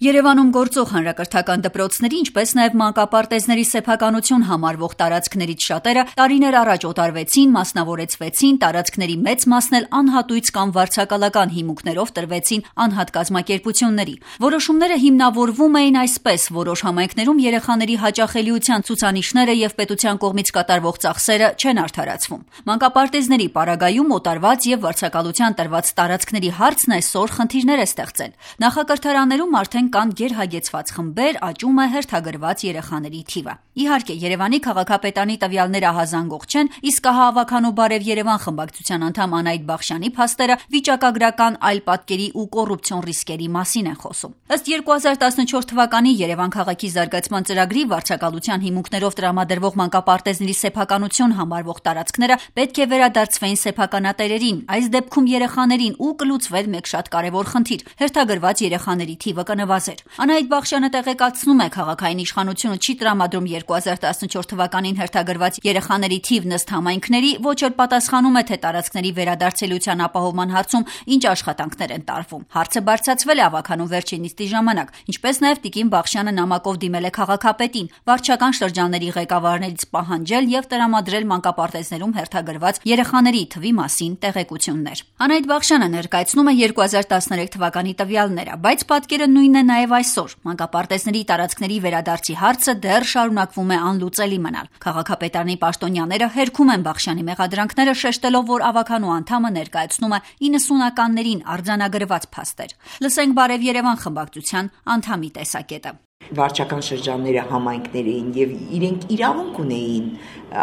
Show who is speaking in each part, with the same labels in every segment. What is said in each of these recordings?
Speaker 1: Երևանում գործող հանրակրթական դպրոցների, ինչպես նաև մանկապարտեզների սեփականություն համարվող տարածքներից շատերը տարիներ առաջ օտարվեցին, մասնավորեցվեցին, տարածքների մեծ մասն էլ անհատույց կամ վարձակալական հիմունքներով տրվեցին անհատ կազմակերպությունների։ Որոշումները հիմնավորվում էին այսպես, որոշ համայնքներում երեխաների հաճախելիության ցուցանիշները եւ պետության կողմից կատարվող ծախսերը չեն արդարացվում։ Մանկապարտեզների պարագայում օտարված եւ վարձակալության տրված տարածքների հարցն այսօր խնդիրներ է ստեղծել։ Նախակրթարաններում արդեն կան գերհագեցված խմբեր, աճում է հերթագրված երեխաների թիվը։ Իհարկե, Երևանի քաղաքապետարանի տվյալները ահազանգող չեն, իսկ Ահավաքանու Բարև Երևան խմբակցության անդամ Անահիտ Բախշյանի փաստերը վիճակագրական այլ պատկերի ու կոռուպցիոն ռիսկերի մասին են խոսում։ Ըստ 2014 թվականի Երևան քաղաքի զարգացման ծրագրի վարձակալության հիմունքներով տրամադրվող մանկապարտեզների սեփականություն համարվող տարածքները պետք է վերադարձվեին սեփականատերերին, այս դեպքում երեխաներին ու կլուծվեր մեկ շատ կարևոր խնդիր՝ հերթագրված երեխաների թիվը կնվազեր։ Անահիտ Բախշյանը տեղեկացնում է, քաղաքային իշխանությունը չի տրամադրում 2014 թվականին հերթագրված երեխաների թիվն ըստ համայնքների, ոչ էլ պատասխանում է, թե տարածքների վերադարձելիության ապահովման հարցում ինչ աշխատանքներ են տարվում։ Հարցը բարձրացվել է Ավագանու վերջին նիստի ժամանակ, ինչպես նաև Տիկին Բախշյանը նամակով դիմել է քաղաքապետին, վարչական շրջանների ղեկավարներից պահանջել եւ տրամադրել մանկապարտեզներում հերթագրված երեխաների թվի մասին տեղեկություններ։ Անահիտ Բախշյանը ներկայացնում է 2013 թվականի տվյալները, բայց պատկերը նույնն է նաև այսօր։ Մանկապարտեզների տարածքների վերադարձի հարցը դեռ շարունակվում է անլուծելի մնալ։ Քաղաքապետարանի պաշտոնյաները հերքում են Բախշյանի մեղադրանքները, շեշտելով, որ Ավագանու անդամը ներկայացնում է 90-ականներին արձանագրված փաստեր։ Լսենք Բարև Երևան խմբակցության անդամի տեսակետը։
Speaker 2: Վարչական շրջանները համայնքներ էին եւ իրենք իրավունք ունեին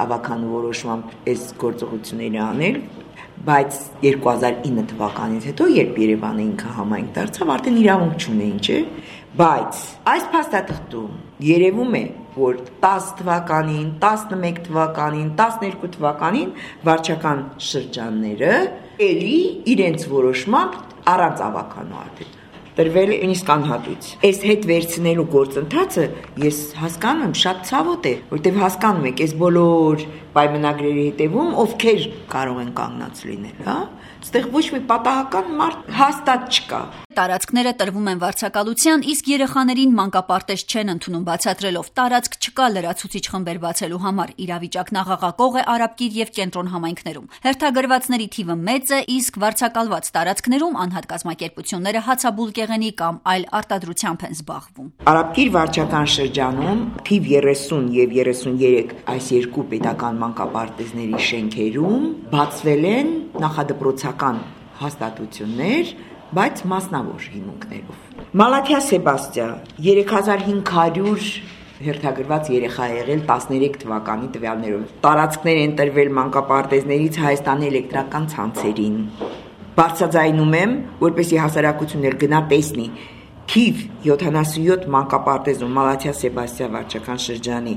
Speaker 2: Ավագանու որոշմամբ այս գործողությունները անել, բայց 2009 թվականից հետո, երբ Երևանը ինքը համայնք դարձավ, արդեն իրավունք չունեին, չէ՞։ Բայց այս փաստաթղթում երևում է, որ 10 թվականին, 11 թվականին, 12 թվականին վարչական շրջանները էլի իրենց որոշմամբ առանց Ավագանու արդեն տրվել նույնիսկ անհատույց։ Այս հետ վերցնելու գործընթացը ես հասկանում եմ շատ ցավոտ է, որտեղ հասկանում եք, այս բոլոր պայմանագրերի հետևում ովքեր կարող են կանգնած լինել, հա։ Այստեղ ոչ մի պատահական մարդ հաստատ չկա։
Speaker 1: Տարածքները տրվում են վարձակալության, իսկ երեխաներին մանկապարտեզ չեն ընդունում, բացատրելով տարածք չկա լրացուցիչ խմբեր բացելու համար։ Իրավիճակն աղաղակող է Արաբկիր եւ Կենտրոն համայնքներում։ Հերթագրվածների թիվը մեծ է, իսկ վարձակալված տարածքներում անհատ կազմակերպությունները հացաբուլկեղենի կամ այլ արտադրությամբ են զբաղվում։
Speaker 2: Արաբկիր վարչական շրջանում թիվ 30 եւ 33 այս երկու պետական մանկապարտեզների շենքերում բացվել են նախադպրոցական հաստատություններ, բայց մասնավոր հիմունքներով։ Մալաթիա Սեբաստիա 3500 հերթագրված երեխա եղել 13 թվականի տվյալներով։ Տարածքներ են տրվել մանկապարտեզներից Հայաստանի էլեկտրական ցանցերին։ Բարձրաձայնում եմ, որպեսզի հասարակությունն էլ գնա տեսնի։ Թիվ 77 մանկապարտեզում Մալաթիա Սեբաստիա վարչական շրջանի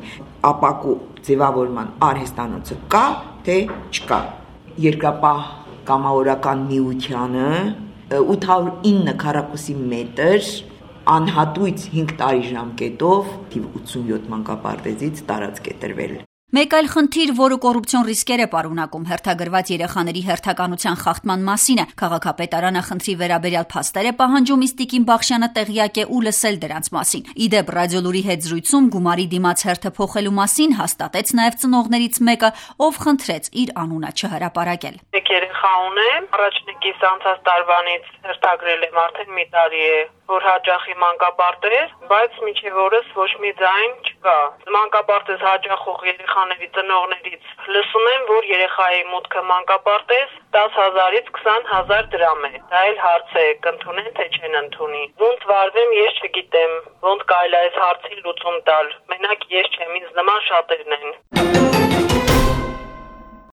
Speaker 2: ապակու ձևավորման արհեստանոցը կա, թե չկա։ Երկրապահ կամավորական միությանը 809 քառակուսի մետր անհատույց 5 տարի ժամկետով թիվ 87 մանկապարտեզից տարածք է տրվել։
Speaker 1: Մեկ այլ խնդիր, որը կոռուպցիոն ռիսկեր է պարունակում հերթագրված երեխաների հերթականության խախտման մասին է, քաղաքապետարանը խնդրի վերաբերյալ փաստեր է պահանջում, իսկ Տիկին Բախշյանը տեղյակ է ու լսել դրանց մասին։ Իդեպ ռադիոլուրի հետ զրույցում գումարի դիմաց հերթը փոխելու մասին հաստատեց նաև ծնողներից մեկը, ով խնդրեց իր անունը չհրապարակել։
Speaker 3: Մեկ երեխա ունեմ, առաջնեկից անցած տարվանից հերթագրել եմ, արդեն մի տարի է, որ հաճախի մանկապարտեզ, բայց մինչև օրս ոչ մի ձայն չկա։ Մանկապարտեզ հաճախող երեխաների ծնողներից լսում եմ, որ երեխայի մուտքը մանկապարտեզ 10,000-ից 20,000 դրամ է։ Դա էլ հարց է, կընդունեն թե չեն ընդունի։ Ոնց վարվեմ, ես չգիտեմ, ոնց կարելի է այս հարցի լուծում տալ։ Մենակ ես չեմ, ինձ նման շատերն են։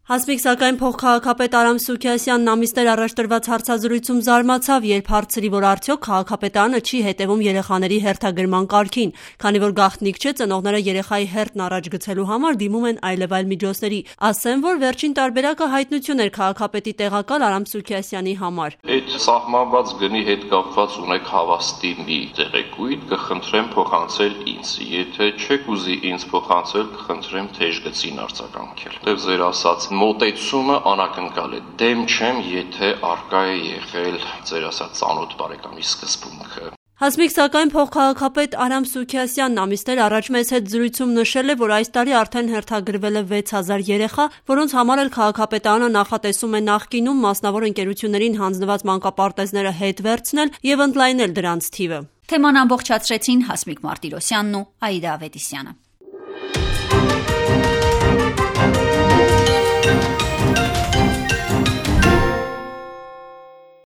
Speaker 4: Հասմիկ սակայն փոխքաղաքապետ Արամ Սուքիասյանն ամիսներ առաջ տրված հարցազրույցում զարմացավ, երբ հարցրի, որ արդյոք քաղաքապետարանը չի հետևում երեխաների հերթագրման կարգին, քանի որ գաղտնիք չէ, ծնողները երեխայի հերթն առաջ գցելու համար դիմում են այլևայլ միջոցների։ Ասեմ, որ վերջին տարբերակը հայտնություն էր քաղաքապետի տեղակալ Արամ Սուքիասյանի համար։
Speaker 5: Այդ սահմանված գնի հետ կապված ունեք հավաստի մի տեղեկույթ, կխնդրեմ փոխանցել ինձ։ Եթե չեք ուզի ինձ փոխանցել, կխնդրեմ թեժ գծին արձագանքել։ Դեռ ձեր ասած մոտեցումը անակնկալ է։ Դեմ չեմ, եթե արկա է եղել ձեր ասած ծանոթ բարեկամի սկզբունքը։
Speaker 4: Հասմիկ, սակայն փոխքաղաքապետ Արամ Սուքիասյանն ամիսներ առաջ մեզ հետ զրույցում նշել է, որ այս տարի արդեն հերթագրվել է 6000 երեխա, որոնց համար էլ քաղաքապետարանը նախատեսում է նախկինում մասնավոր ընկերություններին հանձնված մանկապարտեզները հետ վերցնել եւ ընդլայնել դրանց թիվը։
Speaker 1: Թեման ամբողջացրեցին Հասմիկ Մարտիրոսյանն ու Աիդա Ավետիսյանը։